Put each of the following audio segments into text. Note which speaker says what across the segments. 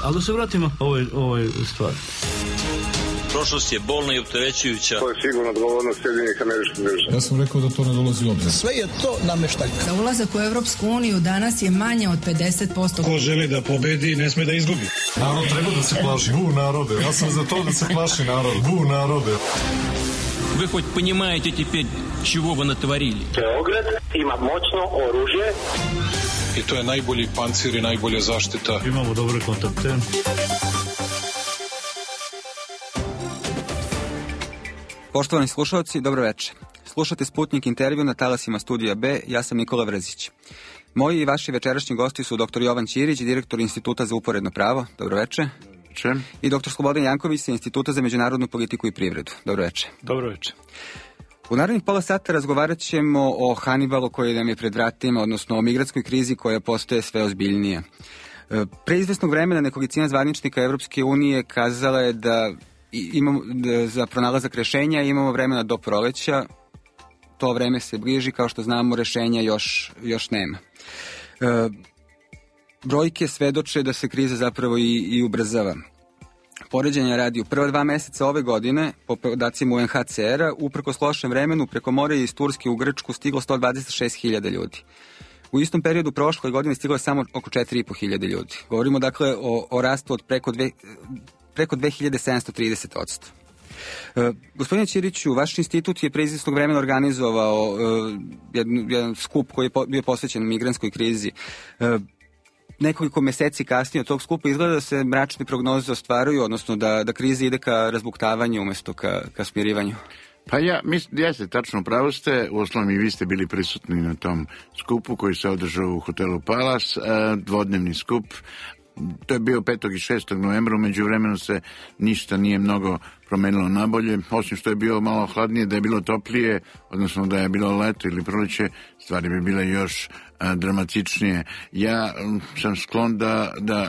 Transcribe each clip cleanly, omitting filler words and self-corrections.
Speaker 1: Ali da se vratimo ovoj stvari.
Speaker 2: Prošlost je bolna i opterećujuća.
Speaker 3: To je sigurno odgovornost Sjedinjenih Američkih Država.
Speaker 4: Ja sam rekao da to ne dolazi u obzir.
Speaker 5: Sve je to nameštaljka.
Speaker 6: Za ulazak u Evropsku uniju danas je manje od 50%.
Speaker 7: Ko želi da pobedi, ne sme da izgubi.
Speaker 4: Narod treba da se plaši. Narode. Ja sam za to da se plaši narod. Narode.
Speaker 2: Вы хоть понимаете теперь, чего вы натворили?
Speaker 3: Beograd ima moćno oružje.
Speaker 4: I to je najbolji pancir i najbolja zaštita.
Speaker 1: Imamo dobre kontakte.
Speaker 8: Poštovani slušalci, dobro večer. Slušate Sputnik intervju na talasima Studija B, ja sam Nikola Vrzić. Moji i vaši večerašnji gosti su dr. Jovan Ćirić, direktor Instituta za uporedno pravo. Dobro večer. I dr. Slobodan Janković sa Instituta za međunarodnu politiku i privredu. Dobro večer.
Speaker 7: Dobro večer.
Speaker 8: U narednih pola sata razgovarat ćemo o Hanibalu koji nam je pred vratima, odnosno o migrantskoj krizi koja postaje sve ozbiljnija. Pre izvesnog vremena nekolicina zvaničnika Evropske unije kazala je da imamo za pronalazak rešenja imamo vremena do proleća. To vreme se bliži, kao što znamo, rešenja još nema. Brojke svedoče da se kriza zapravo i ubrzava. Poređenja radi u prva 2 meseca ove godine, po podacima UNHCR-a, uprkos lošem vremenu, preko mora iz Turske u Grčku stiglo 126.000 ljudi. U istom periodu prošle godine stiglo je samo oko 4.500 ljudi. Govorimo dakle o rastu od preko 2730%. Gospodine Ćiriću, vaš institut je pre izvesnog vremena organizovao jedan skup koji je bio posvećen migrantskoj krizi. Nekoliko meseci kasnije od tog skupa izgleda da se mračne prognoze ostvaruju, odnosno da kriza ide ka razbuktavanju umjesto ka smirivanju.
Speaker 9: Pa jeste, tačno pravo ste, uostalom i vi ste bili prisutni na tom skupu koji se održao u hotelu Palace, dvodnevni skup. To je bio 5. i 6. novembra, među vremenu se ništa nije mnogo promenilo nabolje, osim što je bilo malo hladnije, da je bilo toplije, odnosno da je bilo leto ili proleće, stvari bi bile još dramatičnije. Ja sam sklon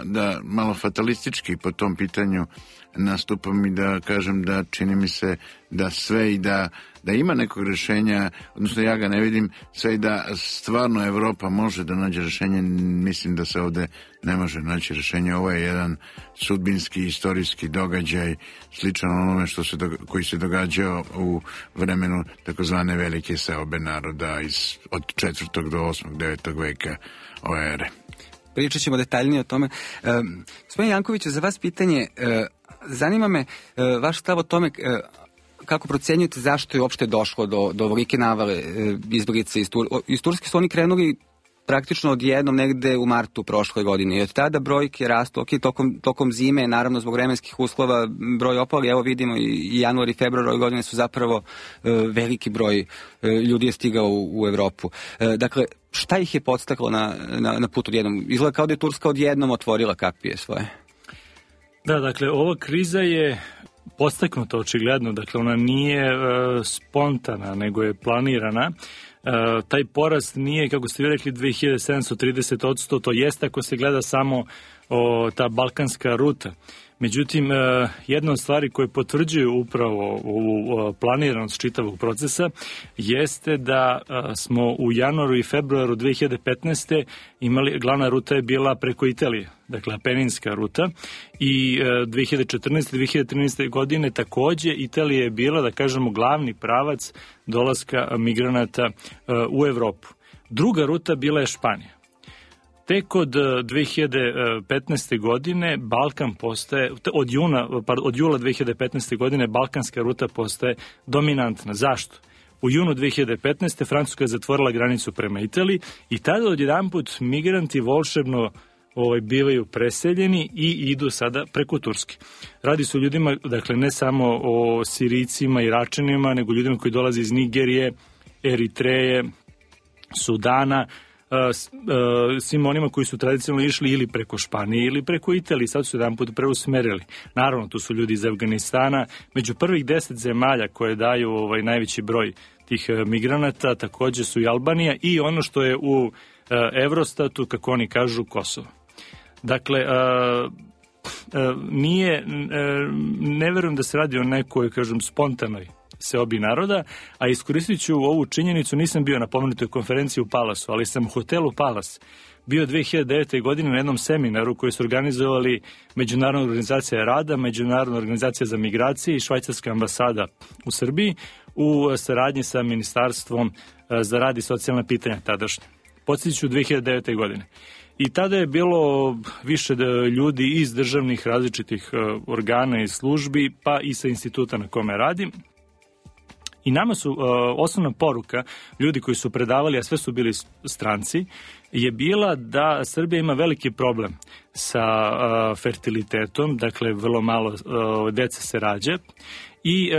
Speaker 9: da malo fatalistički po tom pitanju nastupam i da kažem da čini mi se da sve i da ima nekog rješenja, odnosno ja ga ne vidim, sve i da stvarno Evropa može da nađe rješenje, mislim da se ovde ne može naći rješenje. Ovo je jedan sudbinski, istorijski događaj, sličan onome koji se događao u vremenu takozvane velike seobe naroda od 4. do 8. 9. veka ove ere.
Speaker 8: Pričat ćemo detaljnije o tome. Gospodin Janković, za vas pitanje, zanima me vaš stav o tome kako procenjujete zašto je uopšte došlo do ovolike navale izbeglica iz Turske. Su oni krenuli praktično odjednom negde u martu prošle godine i od tada brojke rastu, tokom zime, naravno zbog vremenskih uslova broj opali, evo vidimo i januar i februar ove godine su zapravo veliki broj ljudi je stigao u Evropu. Dakle, šta ih je podstaklo na put odjednom? Izgleda kao da je Turska odjednom otvorila kapije svoje.
Speaker 7: Da, dakle, ova kriza je podstaknuta očigledno, dakle ona nije spontana, nego je planirana. Taj porast nije, kako ste vi rekli, 2730%, to jeste ako se gleda samo ta balkanska ruta. Međutim, jedna od stvari koje potvrđuju upravo ovu planiranost čitavog procesa jeste da smo u januaru i februaru 2015. imali, glavna ruta je bila preko Italije, dakle apeninska ruta, i 2014. 2013. godine takođe Italija je bila, da kažemo, glavni pravac dolaska migranata u Evropu. Druga ruta bila je Španija. Tek od 2015. godine Balkan postaje, od jula 2015. godine balkanska ruta postaje dominantna. Zašto? U junu 2015. Francuska je zatvorila granicu prema Italiji i tada odjedanput migranti volšebno bivaju preseljeni i idu sada preko Turske. Radi se o ljudima, dakle, ne samo o Sirijcima, Iračanima, nego ljudima koji dolaze iz Nigerije, Eritreje, Sudana, svim onima koji su tradicionalno išli ili preko Španije ili preko Italije, sad su jedan put preusmerili. Naravno, tu su ljudi iz Afganistana. Među prvih 10 zemalja koje daju najveći broj tih migranata takođe su i Albanija i ono što je u Eurostatu, kako oni kažu, Kosovo. Dakle, ne verujem da se radi o nekoj, kažem, spontanoj seobi naroda, a iskoristit ću ovu činjenicu, nisam bio na pomenutoj konferenciji u Palasu, ali sam u hotelu Palace bio 2009. godine na jednom seminaru koji su organizovali Međunarodna organizacija rada, Međunarodna organizacija za migracije i Švajcarska ambasada u Srbiji u saradnji sa Ministarstvom za rad i socijalna pitanja tadašnje. Podsjetit ću 2009. godine. I tada je bilo više ljudi iz državnih različitih organa i službi, pa i sa instituta na kome radim. I nama su osnovna poruka, ljudi koji su predavali, a sve su bili stranci, je bila da Srbija ima veliki problem sa fertilitetom, dakle vrlo malo dece se rađa i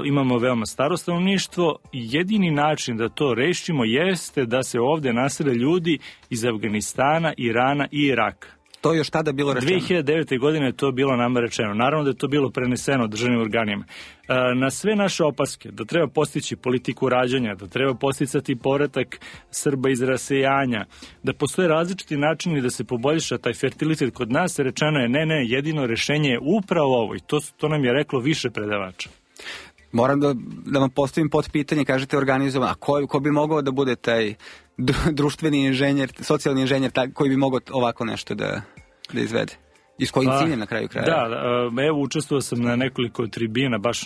Speaker 7: imamo veoma staro stanovništvo. Jedini način da to rešimo jeste da se ovde nasele ljudi iz Afganistana, Irana i Iraka.
Speaker 8: To je još tada bilo rečeno?
Speaker 7: 2009. godine je to bilo nama rečeno. Naravno da je to bilo preneseno državnim organima. Na sve naše opaske, da treba postići politiku rađanja, da treba posticati povratak Srba iz rasejanja, da postoje različiti načini da se poboljša taj fertilitet kod nas, rečeno je ne, jedino rešenje je upravo ovo i to nam je reklo više predavača.
Speaker 8: Moram da vam postavim pod pitanje, kažete organizovan, a ko bi mogao da bude taj društveni inženjer, socijalni inženjer koji bi mogao ovako nešto da izvede? I s kojim ciljem na kraju kraja?
Speaker 7: Da, evo učestvovao sam na nekoliko tribina baš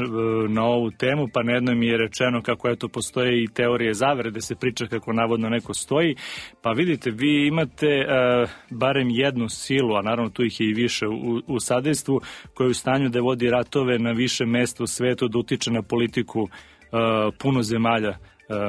Speaker 7: na ovu temu, pa na jednoj mi je rečeno kako eto postoje i teorije zavere da se priča kako navodno neko stoji. Pa vidite, vi imate barem jednu silu, a naravno tu ih je i više u sadejstvu, koja je u stanju da vodi ratove na više mesta u svetu, da utiče na politiku puno zemalja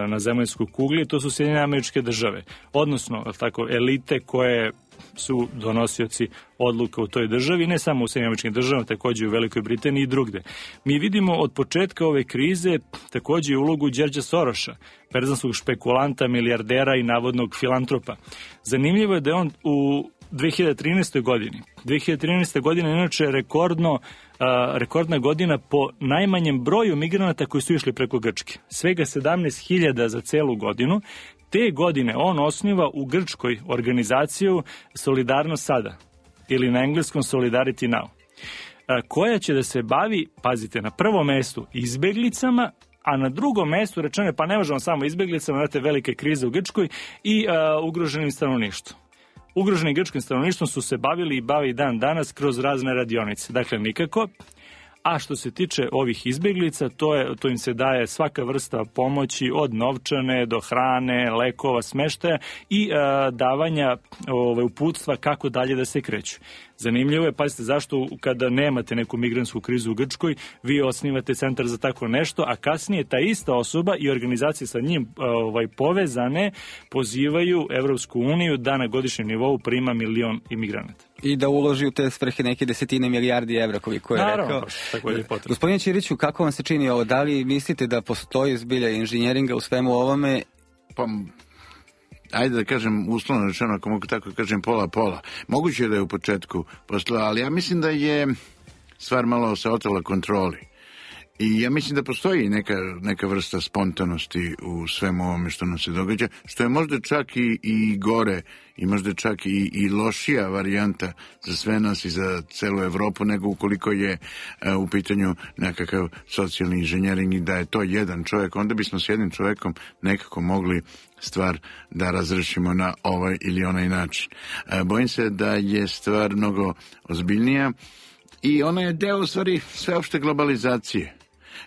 Speaker 7: na zemaljskoj kugli, to su Sjedinjene Američke Države. Odnosno, tako, elite koje su donosioci odluka u toj državi, ne samo u Sjedinjenim Američkim Državama, takođe u Velikoj Britaniji i drugde. Mi vidimo od početka ove krize takođe ulogu Đorđa Soroša, perzanskog špekulanta, milijardera i navodnog filantropa. Zanimljivo je da je on u 2013. godini. 2013. godina je inače rekordna godina po najmanjem broju migranata koji su išli preko Grčke. Svega 17.000 za celu godinu. Te godine on osniva u Grčkoj organizaciju Solidarnost sada, ili na engleskom Solidarity Now, koja će da se bavi, pazite, na prvom mestu izbeglicama, a na drugom mestu rečeno pa ne možemo samo izbeglicama, znate, velike krize u Grčkoj i ugroženim stanovništvom. Ugroženim grčkim stanovništvom su se bavili i bavi dan danas kroz razne radionice. Dakle, nikako. A što se tiče ovih izbeglica, to im se daje svaka vrsta pomoći od novčane do hrane, lekova, smeštaja i davanja uputstva kako dalje da se kreću. Zanimljivo je, pazite, zašto kada nemate neku migrantsku krizu u Grčkoj, vi osnivate centar za tako nešto, a kasnije ta ista osoba i organizacije sa njim povezane pozivaju Evropsku uniju da na godišnjem nivou prima 1 milion imigranata.
Speaker 8: I da uloži u te svrhe neke desetine milijardi evra, koliko je rekao.
Speaker 7: Naravno, tako je potrebno.
Speaker 8: Gospodine Ćiriću, kako vam se čini ovo? Da li mislite da postoji zbilja inženjeringa u svemu ovome?
Speaker 9: Pa, ajde da kažem, uslovno rečeno, ako mogu tako kažem, pola. Moguće je da je u početku postojala, ali ja mislim da je stvar malo se otela kontroli. I ja mislim da postoji neka vrsta spontanosti u svemu ovome što nam se događa, što je možda čak i gore i možda čak i lošija varijanta za sve nas i za celu Evropu nego ukoliko je u pitanju nekakav socijalni inženjering i da je to jedan čovjek, onda bismo s jednim čovjekom nekako mogli stvar da razrešimo na ovaj ili onaj način. Bojim se da je stvar mnogo ozbiljnija i ona je deo u stvari sveopšte globalizacije.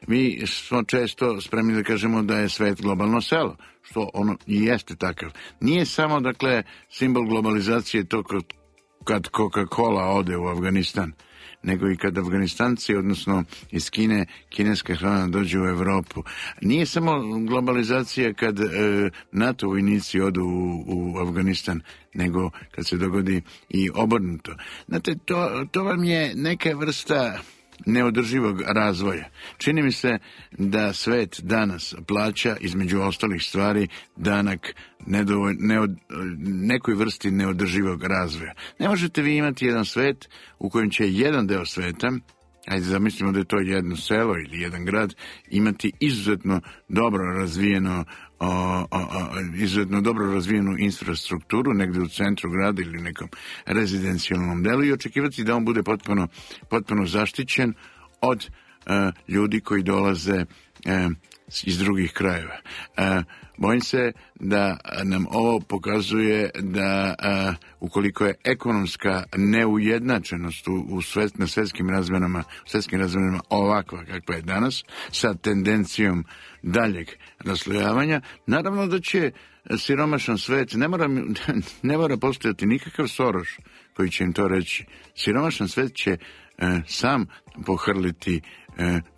Speaker 9: Mi smo često spremni da kažemo da je svet globalno selo, što ono i jeste takav. Nije samo, dakle, simbol globalizacije to kad Coca-Cola ode u Afganistan, nego i kad Afganistanci, odnosno iz Kine, kineska hrana dođe u Evropu. Nije samo globalizacija kad NATO vojnici odu u Afganistan, nego kad se dogodi i obrnuto. Znate, to vam je neka vrsta neodrživog razvoja. Čini mi se da svet danas plaća, između ostalih stvari, danak nekoj vrsti neodrživog razvoja. Ne možete vi imati jedan svet u kojem će jedan deo sveta, ajde zamislimo da je to jedno selo ili jedan grad, imati izuzetno dobro razvijenu infrastrukturu negde u centru grada ili nekom rezidencijalnom delu i očekivati da on bude potpuno zaštićen od ljudi koji dolaze iz drugih krajeva. Bojim se da nam ovo pokazuje da ukoliko je ekonomska neujednačenost na svetskim razmjerama ovakva kakva je danas, sa tendencijom daljeg raslojavanja, naravno da će siromašan svet, ne mora postojati nikakav Soros koji će im to reći. Siromašan svet će sam pohrliti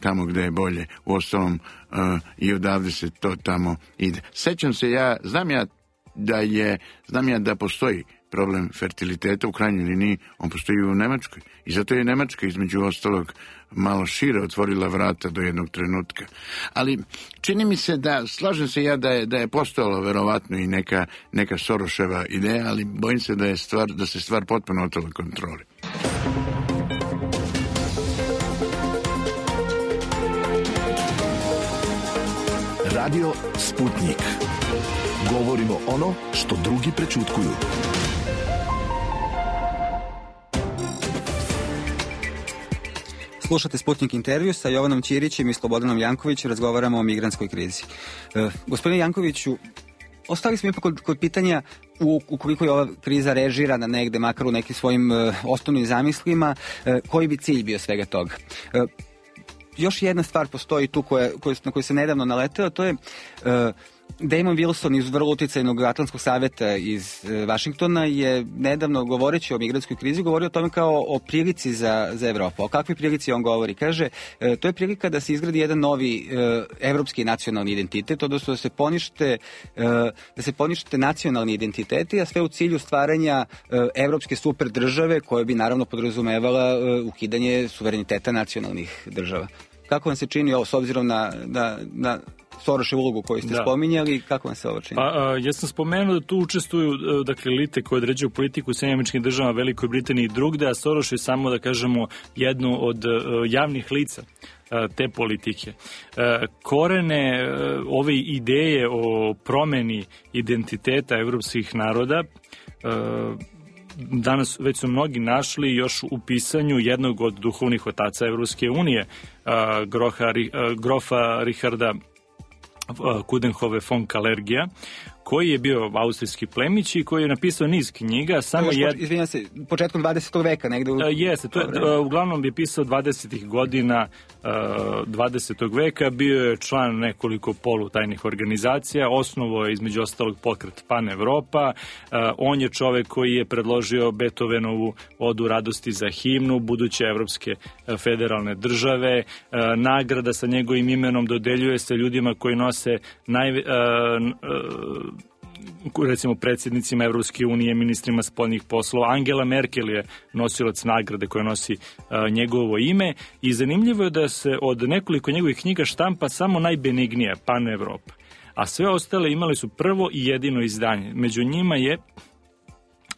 Speaker 9: tamo gde je bolje. Uostalom i odavde se to tamo ide. Sećam se, znam ja da postoji problem fertiliteta, u krajnjoj liniji on postoji u Nemačkoj. I zato je Nemačka između ostalog malo šire otvorila vrata do jednog trenutka. Ali čini mi se slažem se ja da je postojala verovatno i neka Soroševa ideja, ali bojim se da se stvar potpuno otela kontroli.
Speaker 5: Radio Sputnik. Govorimo ono što drugi prećutkuju.
Speaker 8: Slušate Sputnik intervju sa Jovanom Ćirićem i Slobodanom Jankovićem, razgovaramo o migrantskoj krizi. Gospodine Jankoviću, ostali smo ipak kod pitanja ukoliko je ova kriza režirana negde, makar u nekim svojim osnovnim zamislima, koji bi cilj bio svega toga? Još jedna stvar postoji tu na koju se nedavno naleteo, to je Damon Wilson iz vrlo uticajnog Atlantskog saveta iz Vašingtona je nedavno, govoreći o migrantskoj krizi, govorio o tome kao o prilici za Evropu. O kakvoj prilici on govori? Kaže, to je prilika da se izgradi jedan novi evropski nacionalni identitet, odnosno da se ponište nacionalni identiteti, a sve u cilju stvaranja evropske super države koja bi naravno podrazumevala ukidanje suvereniteta nacionalnih država. Kako vam se čini ovo s obzirom na Soroševu ulogu koju ste spominjali, kako vam se ovo čini?
Speaker 7: Ja sam spomenuo da tu učestvuju elite koje određuju politiku u Sjedinjenim Američkim Državama, Velikoj Britaniji i drugde, a Soroš je samo, da kažemo, jednu od javnih lica te politike. Korene ove ideje o promeni identiteta evropskih naroda danas već su mnogi našli još u pisanju jednog od duhovnih otaca Evropske unije, grofa Richarda Coudenhove von Kalergija, koji je bio austrijski plemić i koji je napisao niz knjiga.
Speaker 8: Izvinjam se, početkom 20. veka negde.
Speaker 7: Jeste, uglavnom je pisao 20. godina 20. veka, bio je član nekoliko polutajnih organizacija, osnovao je između ostalog pokret Pan Evropa, on je čovek koji je predložio Beethovenovu Odu radosti za himnu buduće evropske federalne države, nagrada sa njegovim imenom dodeljuje se ljudima koji nose recimo predsjednicima Evropske unije, ministrima spoljnih poslova. Angela Merkel je nosilac nagrade koja nosi njegovo ime i zanimljivo je da se od nekoliko njegovih knjiga štampa samo najbenignija, Pan Evropa. A sve ostale imali su prvo i jedino izdanje. Među njima je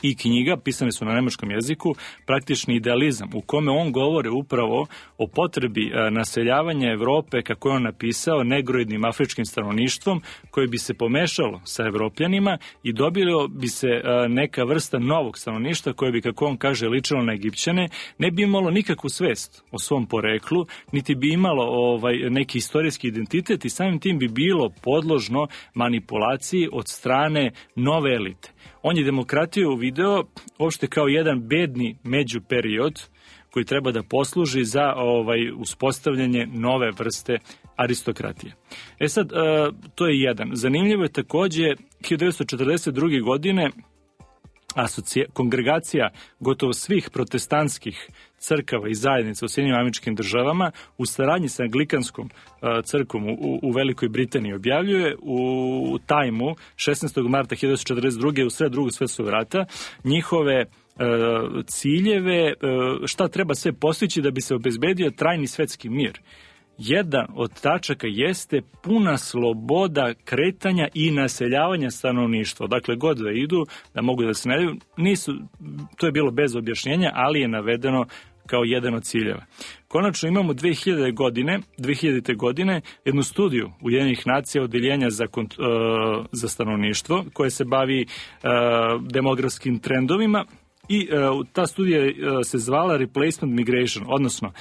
Speaker 7: i knjiga, pisane su na nemačkom jeziku, Praktični idealizam, u kome on govore upravo o potrebi naseljavanja Evrope, kako je on napisao, negroidnim afričkim stanovništvom, koje bi se pomešalo sa Evropljanima i dobilo bi se neka vrsta novog stanovništva koje bi, kako on kaže, ličilo na Egipćane, ne bi imalo nikakvu svest o svom poreklu, niti bi imalo neki istorijski identitet i samim tim bi bilo podložno manipulaciji od strane nove elite. On je demokratiju video uopšte kao jedan bedni međuperiod koji treba da posluži za uspostavljanje nove vrste aristokratije. Sad, to je jedan. Zanimljivo je takođe 1942. godine kongregacija gotovo svih protestantskih crkava i zajednica u Sjedinjenim Američkim Državama u saradnji sa Anglikanskom crkvom u Velikoj Britaniji objavljuje u Tajmu 16. marta 1942. u sred Drugog svjetskog rata njihove ciljeve, šta treba sve postići da bi se obezbedio trajni svetski mir. Jedan od tačaka jeste puna sloboda kretanja i naseljavanja stanovništva. Dakle, god da idu, da mogu da se naseljuju, to je bilo bez objašnjenja, ali je navedeno kao jedan od ciljeva. Konačno imamo 2000. godine jednu studiju Ujedinjenih nacija odeljenja za stanovništvo koje se bavi demografskim trendovima. I ta studija se zvala Replacement Migration, odnosno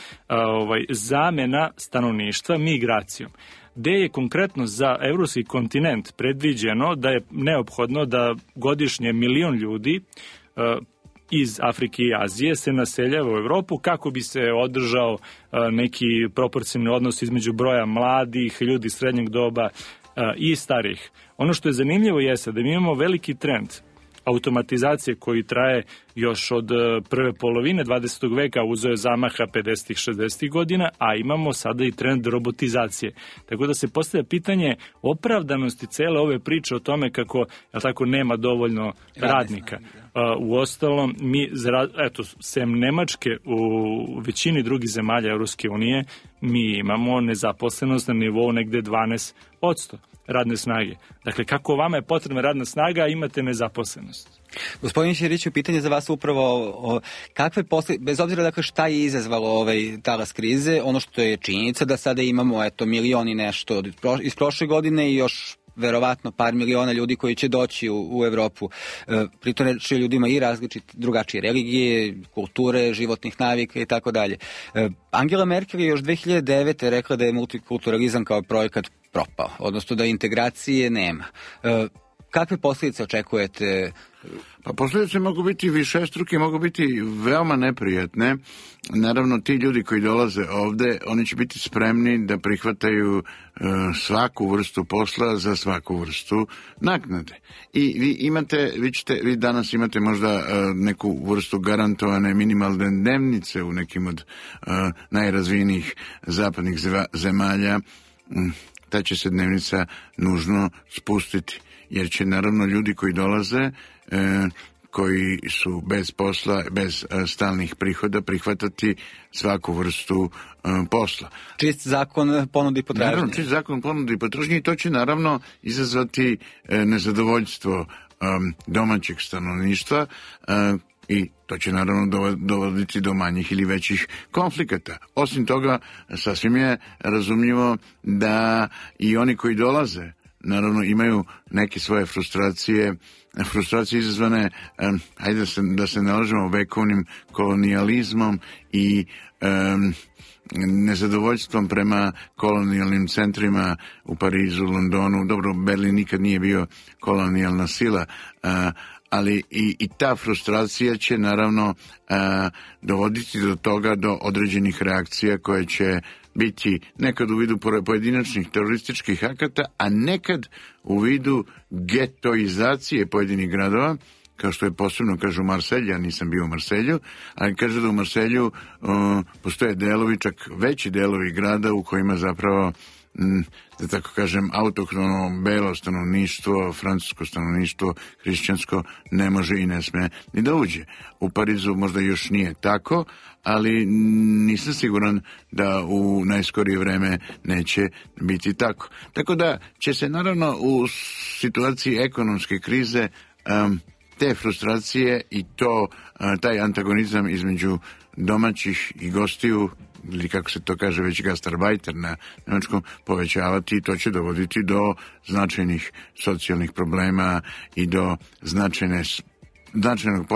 Speaker 7: zamena stanovništva migracijom. gde je konkretno za evropski kontinent predviđeno da je neophodno da godišnje 1 milion ljudi iz Afrike i Azije se naseljava u Evropu kako bi se održao neki proporcionalni odnos između broja mladih, ljudi srednjeg doba i starih. Ono što je zanimljivo jeste da mi imamo veliki trend automatizacije koji traje još od prve polovine 20. veka, uzeo je zamaha 50. 60. godina, a imamo sada i trend robotizacije. Tako da se postavlja pitanje opravdanosti cele ove priče o tome kako, tako, nema dovoljno radnika. Uostalom, mi, sem Nemačke, u većini drugih zemalja Evropske unije, mi imamo nezaposlenost na nivou negde 12% radne snage. Dakle, kako vama je potrebna radna snaga, a imate nezaposlenost?
Speaker 8: Gospodin Ćiriću, pitanje za vas upravo kakve bez obzira dakle šta je izazvalo ovaj talas krize, ono što je činjenica da sada imamo milion i nešto iz prošle godine i još verovatno par miliona ljudi koji će doći u Evropu. Pritom reći ljudima i drugačije religije, kulture, životnih navika i tako dalje. Angela Merkel je još 2009. rekla da je multikulturalizam kao projekat propao, odnosno da integracije nema. Kakve posljedice očekujete?
Speaker 9: Pa posljedice mogu biti višestruke, mogu biti veoma neprijatne. Naravno, ti ljudi koji dolaze ovde, oni će biti spremni da prihvataju svaku vrstu posla za svaku vrstu naknade. I vi danas imate možda neku vrstu garantovane minimalne dnevnice u nekim od najrazvijenijih zapadnih zemalja. Ta će se dnevnica nužno spustiti, jer će naravno ljudi koji dolaze, koji su bez posla, bez stalnih prihoda, prihvatati svaku vrstu posla.
Speaker 8: Čist zakon ponudi potražnje.
Speaker 9: Naravno, čist zakon ponudi potražnje i to će naravno izazvati nezadovoljstvo domaćeg stanovništva i to će naravno dovoditi do manjih ili većih konflikata. Osim toga, sasvim je razumljivo da i oni koji dolaze naravno imaju neke svoje frustracije izazvane, da se ne lažemo, vekovnim kolonijalizmom i nezadovoljstvom prema kolonijalnim centrima u Parizu, Londonu. Dobro, Berlin nikad nije bio kolonijalna sila, ali i ta frustracija će naravno dovoditi do toga, do određenih reakcija koje će biti nekad u vidu pojedinačnih terorističkih akata, a nekad u vidu getoizacije pojedinih gradova, kao što je posebno, kažu, Marselj, ja nisam bio u Marselju, ali kaže da u Marselju postoje delovi, čak veći delovi grada u kojima zapravo, da tako kažem, autohtono belo stanovništvo, francusko stanovništvo, hrišćansko, ne može i ne sme ni da uđe. U Parizu možda još nije tako, ali nisam siguran da u najskorije vreme neće biti tako. Tako da će se naravno u situaciji ekonomske krize te frustracije i taj antagonizam između domaćih i gostiju, ili kako se to kaže već gastarbajter na nemačkom, povećavati i to će dovoditi do značajnih socijalnih problema i do značajnog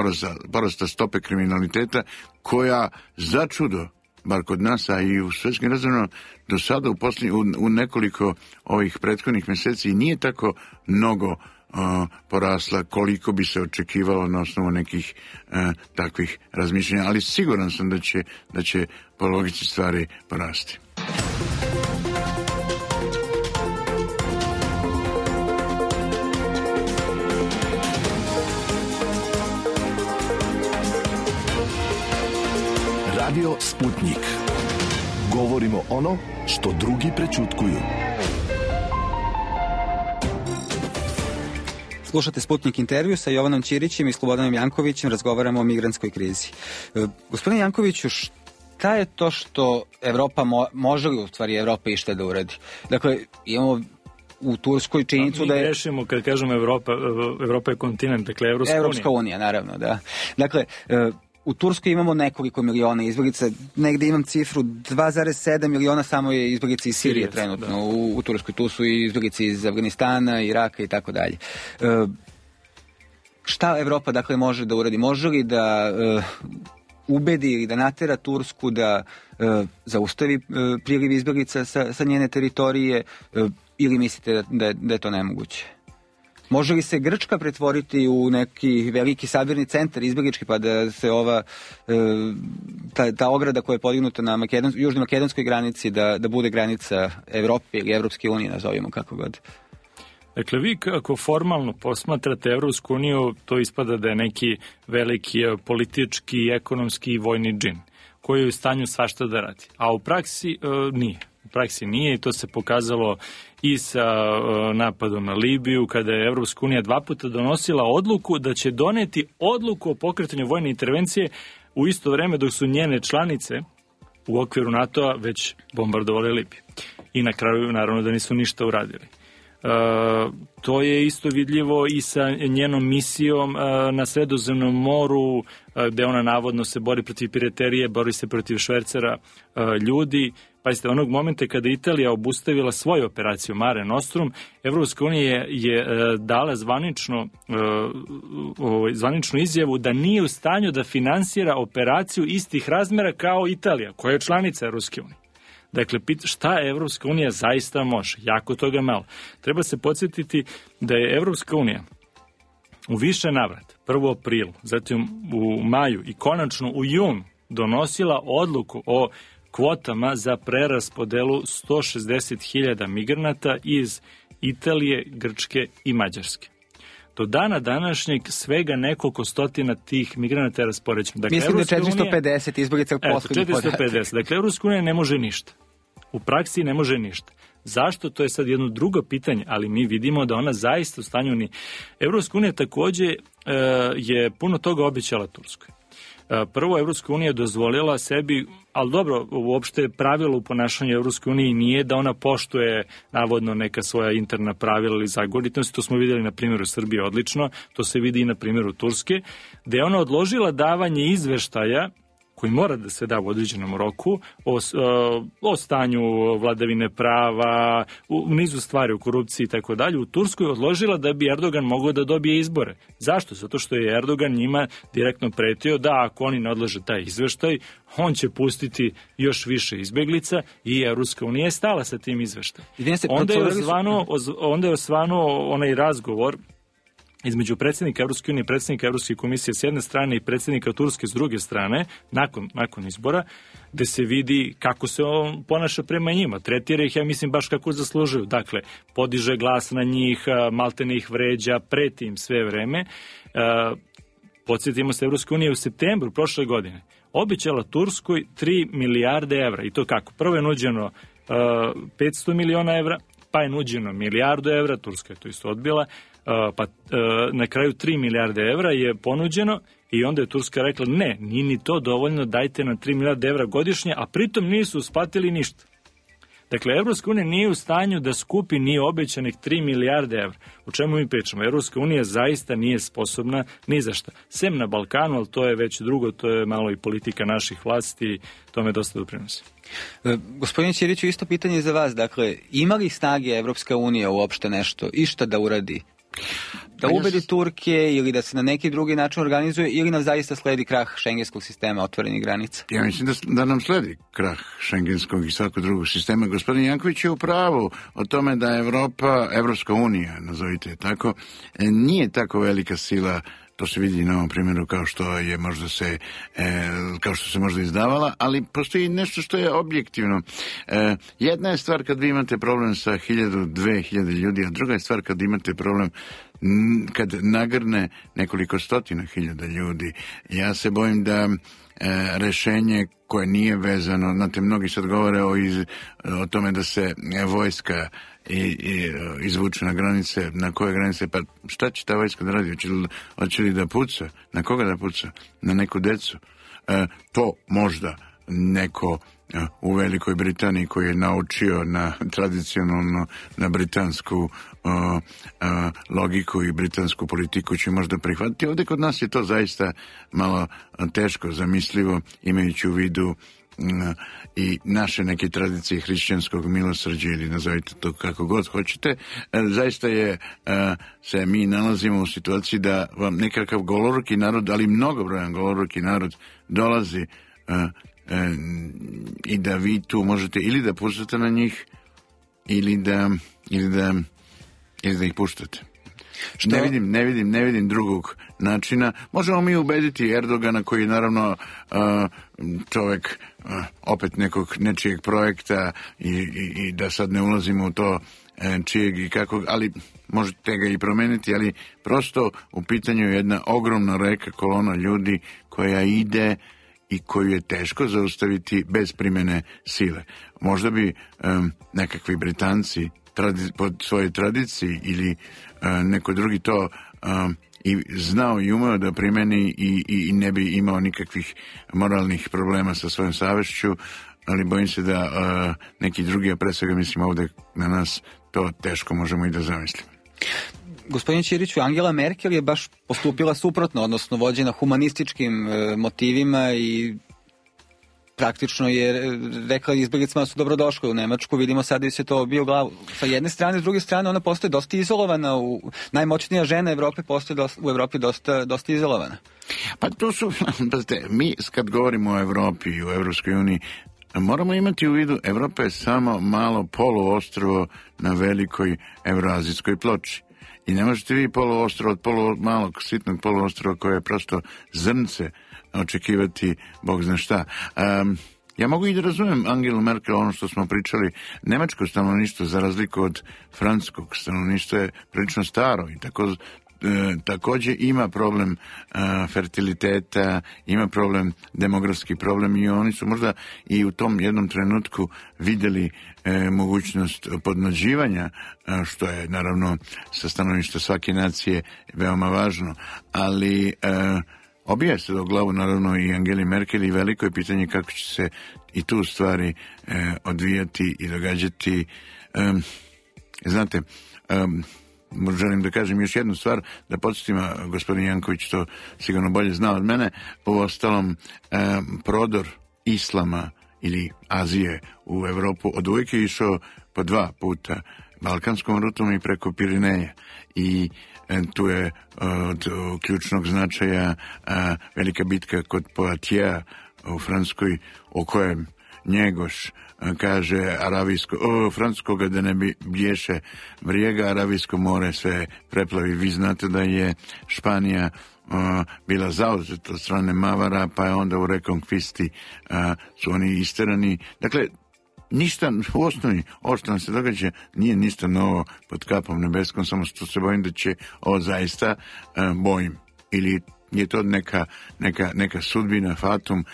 Speaker 9: porasta stope kriminaliteta, koja za čudo, bar kod nas, a i u svetskim razmjerima, do sada u nekoliko ovih prethodnih meseci nije tako mnogo porasla koliko bi se očekivalo na osnovu nekih takvih razmišljanja, ali siguran sam da će po logici stvari porasti.
Speaker 5: Radio Sputnik. Govorimo ono što drugi prećutkuju.
Speaker 8: Slušate Sputnik intervju sa Jovanom Ćirićem i Slobodanom Jankovićem, razgovaramo o migrantskoj krizi. Gospodine Jankoviću, šta je to što Evropa može li u stvari Evropa išta da uradi? Dakle, imamo u Turskoj činjenicu da je...
Speaker 7: Mi grešimo kad kažemo Evropa je kontinent, dakle
Speaker 8: Evropska unija, naravno, da. Dakle, u Turskoj imamo nekoliko miliona izbjeglica, negde imam cifru 2,7 miliona samo je izbjeglica iz Sirije trenutno u Turskoj, tu su i izbjeglice iz Afganistana, Iraka i tako dalje. Šta Evropa dakle može da uradi? Može li da ubedi ili da natera Tursku da zaustavi priliv izbjeglica sa njene teritorije, ili mislite da je to nemoguće? Može li se Grčka pretvoriti u neki veliki sabirni centar izbjeglički, pa da se ta ograda koja je podignuta na južnoj makedonskoj granici da bude granica Evrope ili Evropske unije, nazovimo kako god?
Speaker 7: Dakle, vi kako formalno posmatrate Evropsku uniju, to ispada da je neki veliki politički, ekonomski i vojni džin, koji je u stanju svašta da radi. A u praksi nije. U praksi nije i to se pokazalo i sa napadom na Libiju, kada je Evropska unija 2 puta donosila odluku da će doneti odluku o pokretanju vojne intervencije u isto vreme dok su njene članice u okviru NATO-a već bombardovali Libiju. I na kraju, naravno, da nisu ništa uradili. To je isto vidljivo i sa njenom misijom na Sredozemnom moru, gde ona navodno se bori protiv piraterije, bori se protiv švercera ljudi. Pazite, onog momenta kada Italija obustavila svoju operaciju Mare Nostrum, Evropska unija je dala zvaničnu izjavu da nije u stanju da finansira operaciju istih razmera kao Italija, koja je članica Evropske unije. Dakle, šta Evropska unija zaista može? Jako toga malo. Treba se podsjetiti da je Evropska unija u više navrata, prvo u aprilu, zatim u maju i konačno u junu donosila odluku o kvotama za preraspodelu 160.000 migranata iz Italije, Grčke i Mađarske. Do dana današnjeg svega nekoliko stotina tih migranata je raspoređeno. Dakle,
Speaker 8: mislim da 450 izbjeglica poslednjih podatak.
Speaker 7: 450. Dakle, Evropska unija ne može ništa. U praksi ne može ništa. Zašto? To je sad jedno drugo pitanje, ali mi vidimo da ona zaista u stanju ni... Evropska unija takođe je puno toga obećala Turskoj. Prvo, Evropska unija dozvolila sebi, ali dobro, uopšte pravilo u ponašanju Evropske unije nije da ona poštuje navodno neka svoja interna pravila ili zagonitosti. To smo vidjeli na primjeru Srbije odlično, to se vidi i na primjeru Turske, gde je ona odložila davanje izveštaja koji mora da se da u određenom roku o stanju vladavine prava, u nizu stvari, u korupciji i tako dalje, u Turskoj odložila da bi Erdogan mogao da dobije izbore. Zašto? Zato što je Erdogan njima direktno pretio da ako oni ne odlože taj izveštaj, on će pustiti još više izbeglica i Evropska unija je stala sa tim izveštajem. Onda je osvanuo onaj razgovor između predsjednika Evropske unije i predsjednika Evropske komisije s jedne strane i predsjednika Turske s druge strane, nakon izbora, gde se vidi kako se on ponaša prema njima. Tretira ih, ja mislim, baš kako zaslužuju. Dakle, podiže glas na njih, maltene ih vređa, preti im sve vreme. Podsjetimo se, Evropska unija u septembru prošle godine obećala Turskoj 3 milijarde evra. I to kako? Prvo je nuđeno 500 miliona evra, pa je nuđeno milijardu evra, Turska je to isto odbila, pa na kraju 3 milijarde evra je ponuđeno i onda je Turska rekla ne, nije ni to dovoljno, dajte nam 3 milijarde evra godišnje, a pritom nisu usplatili ništa. Dakle, Evropska unija nije u stanju da skupi ni obećanih 3 milijarde evra. O čemu mi pričamo? Evropska unija zaista nije sposobna ni za šta. Sem na Balkanu, ali to je već drugo, to je malo i politika naših vlasti i tome dosta doprinosi.
Speaker 8: Gospodin Ćiriću, isto pitanje za vas. Dakle, ima li snage Evropska unija uopšte nešto, išta da uradi? Da ubedi Turke ili da se na neki drugi način organizuje ili nam zaista sledi krah šengenskog sistema otvorenih granica?
Speaker 9: Ja mislim da nam sledi krah šengenskog i svakog drugog sistema. Gospodin Janković je u pravu o tome da Evropska unija, nazovite je tako, nije tako velika sila. To se vidi na ovom primjeru kao što se možda izdavala, ali postoji nešto što je objektivno. Jedna je stvar kad vi imate problem sa 1000-2000 ljudi, a druga je stvar kad imate problem kad nagrne nekoliko stotina hiljada ljudi. Ja se bojim da rešenje koje nije vezano, znate, mnogi sad govore o tome da se vojska izvuče na granice. Na koje granice? Pa šta će ta vojska da radi? Hoće li da puca? Na koga da puca? Na neku decu? To možda neko u Velikoj Britaniji koji je naučio tradicionalno na britansku logiku i britansku politiku će možda prihvatiti. Ovdje kod nas je to zaista malo teško zamislivo, imajući u vidu i naše neke tradicije hrišćanskog milosrđa ili nazovite to kako god hoćete. Zaista se mi nalazimo u situaciji da vam nekakav goloruki narod, ali mnogobrojan goloruki narod dolazi i da vi tu možete ili da puštate na njih ili da ih puštate. Ne vidim drugog načina. Možemo mi ubediti Erdogana koji je naravno čovjek opet nečijeg projekta i da sad ne ulazimo u to čijeg i kakvog, ali možete ga i promeniti, ali prosto u pitanju je jedna ogromna reka, kolona ljudi koja ide i koju je teško zaustaviti bez primjene sile. Možda bi nekakvi Britanci po svojoj tradiciji ili neko drugi to i znao i umeo da primeni i ne bi imao nikakvih moralnih problema sa svojom savješću, ali bojim se da neki drugi, a pre svega mislim ovdje na nas, to teško možemo i da zamislimo.
Speaker 8: Gospodin Ćiriću, Angela Merkel je baš postupila suprotno, odnosno vođena humanističkim motivima i praktično je rekla izbjeglicama da su dobrodošli u Nemačku. Vidimo sada da se to bio u glavu. Sa jedne strane, s druge strane, ona postoje dosta izolovana. Najmoćnija žena Evrope postoje u Evropi dosta izolovana.
Speaker 9: Pa to su, mi kad govorimo o Evropi i u Evropskoj uniji, moramo imati u vidu, Evropa je samo malo poluostrvo na velikoj evroazijskoj ploči. I ne možete vi poluostrvo od malog sitnog poluostrva koje je prosto zrnce očekivati Bog zna šta. Ja mogu i da razumijem Angelu Merkel, ono što smo pričali, nemačko stanovništvo za razliku od francuskog stanovništva je prilično staro i također ima problem fertiliteta, ima problem, demografski problem i oni su možda i u tom jednom trenutku vidjeli mogućnost podmlađivanja, što je naravno sa stanovišta svake nacije veoma važno, ali obija se do glavu naravno i Angeli Merkel i veliko je pitanje kako će se i tu stvari odvijati i događati. Znate, želim da kažem još jednu stvar, da podsjetim, gospodin Janković to sigurno bolje zna od mene, u ostalom prodor islama ili Azije u Evropu od uvijek je išao po 2 puta, balkanskom rutom i preko Pirineja i tu je od ključnog značaja velika bitka kod Poitiers u Francuskoj, o kojem Njegoš kaže francuskoga da ne bješe vrijega, Aravijsko more sve preplavi. Vi znate da je Španija bila zauzeta od strane Mavara, pa je onda u rekonkvisti su oni isterani. Dakle, ništa u osnovi, ovo što nam se događa, nije ništa novo pod kapom nebeskom, samo što se bojim da će ovo zaista bojim. Ili je to neka sudbina, fatum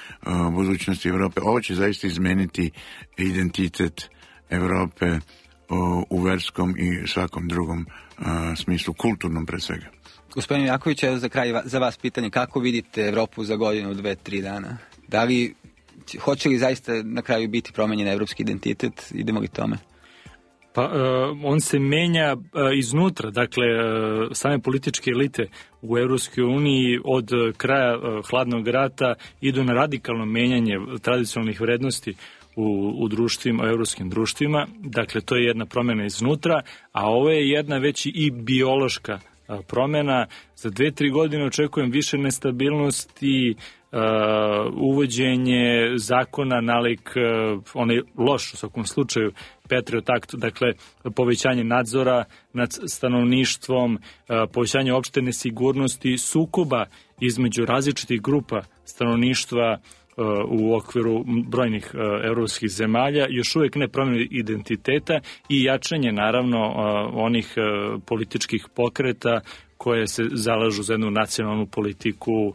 Speaker 9: budućnosti Evrope. Ovo će zaista izmeniti identitet Evrope u verskom i svakom drugom smislu, kulturnom pre svega.
Speaker 8: Gospodin Jaković, evo za kraj za vas pitanje, kako vidite Evropu za godinu, 2-3 dana? Da li hoće li zaista na kraju biti promenjen evropski identitet? Idemo li tome?
Speaker 7: Pa on se menja iznutra, dakle same političke elite u Europskoj uniji od kraja hladnog rata idu na radikalno menjanje tradicionalnih vrednosti u društvima, u europskim društvima, dakle to je jedna promjena iznutra, a ovo je jedna već i biološka promjena. Za 2-3 godine očekujem više nestabilnosti, uvođenje zakona nalik onaj loš u svakom slučaju Patriot Act, dakle povećanje nadzora nad stanovništvom, povećanje opšte nesigurnosti, sukoba između različitih grupa stanovništva u okviru brojnih evropskih zemalja, još uvijek ne promjena identiteta i jačanje naravno onih političkih pokreta koje se zalažu za jednu nacionalnu politiku,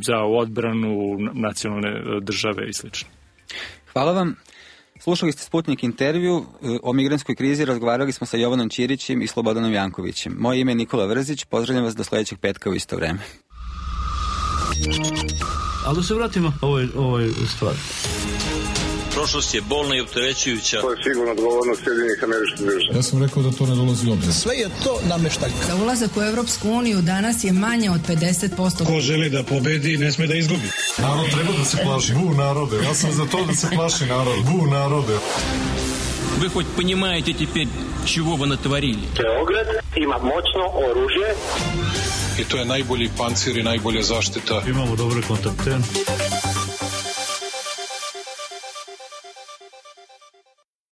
Speaker 7: za odbranu nacionalne države i sl.
Speaker 8: Hvala vam. Slušali ste Sputnik intervju. O migrantskoj krizi razgovarali smo sa Jovanom Ćirićem i Slobodanom Jankovićem. Moje ime je Nikola Vrzić. Pozdravljam vas do sljedećeg petka u isto vreme.
Speaker 1: Ali da se vratimo ovoj stvari.
Speaker 2: Prošlost je bolna i opterećujuća.
Speaker 3: To je sigurno odgovornost Sjedinjenih Američkih Država.
Speaker 4: Ja sam rekao da to ne dolazi u obzir.
Speaker 10: Sve je to nameštaljka.
Speaker 6: Za ulazak u Europsku uniju danas je manje od 50%.
Speaker 10: Ko želi da pobedi, ne sme da izgubi.
Speaker 4: Narod treba da se plaši. Bu narode. Ja sam za to da se plaši narod. Bu narode.
Speaker 2: Вы хоть понимаете теперь, чего вы натворили?
Speaker 3: Beograd ima moćno oružje.
Speaker 4: I to je najbolji pancir i najbolja zaštita.
Speaker 1: Imamo dobre kontakte.